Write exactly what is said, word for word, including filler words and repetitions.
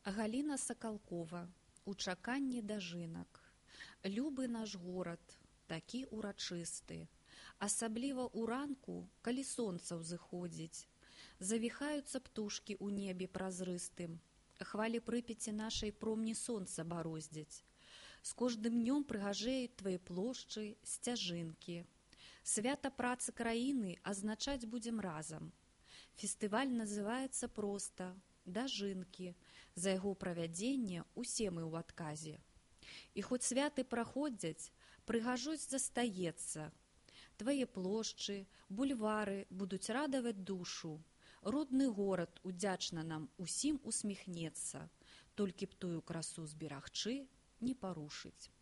Галіна Сакалкова. У чаканні дажынак. Любы наш горад, такі урачысты. Асабліва ўранку, калі сонца ўзыходзіць. Завіхаюцца птушкі ў небе празрыстым. Хвалі Прыпяці нашай промні сонца бароздзяць. З кожным днём прыгажэюць твае плошчы, сцяжынкі. Свята працы краіны азначаць будзем разам. Фестываль называецца проста «Дажынкі». За яго правядзенне усе мы ў адказе. І хоць святы праходзяць, прыгажосць застаецца. Твае плошчы, бульвары будуць радаваць душу. Родны горад удзячна нам усім усміхнецца. Толькі б тую красу зберагчы, не парушыць.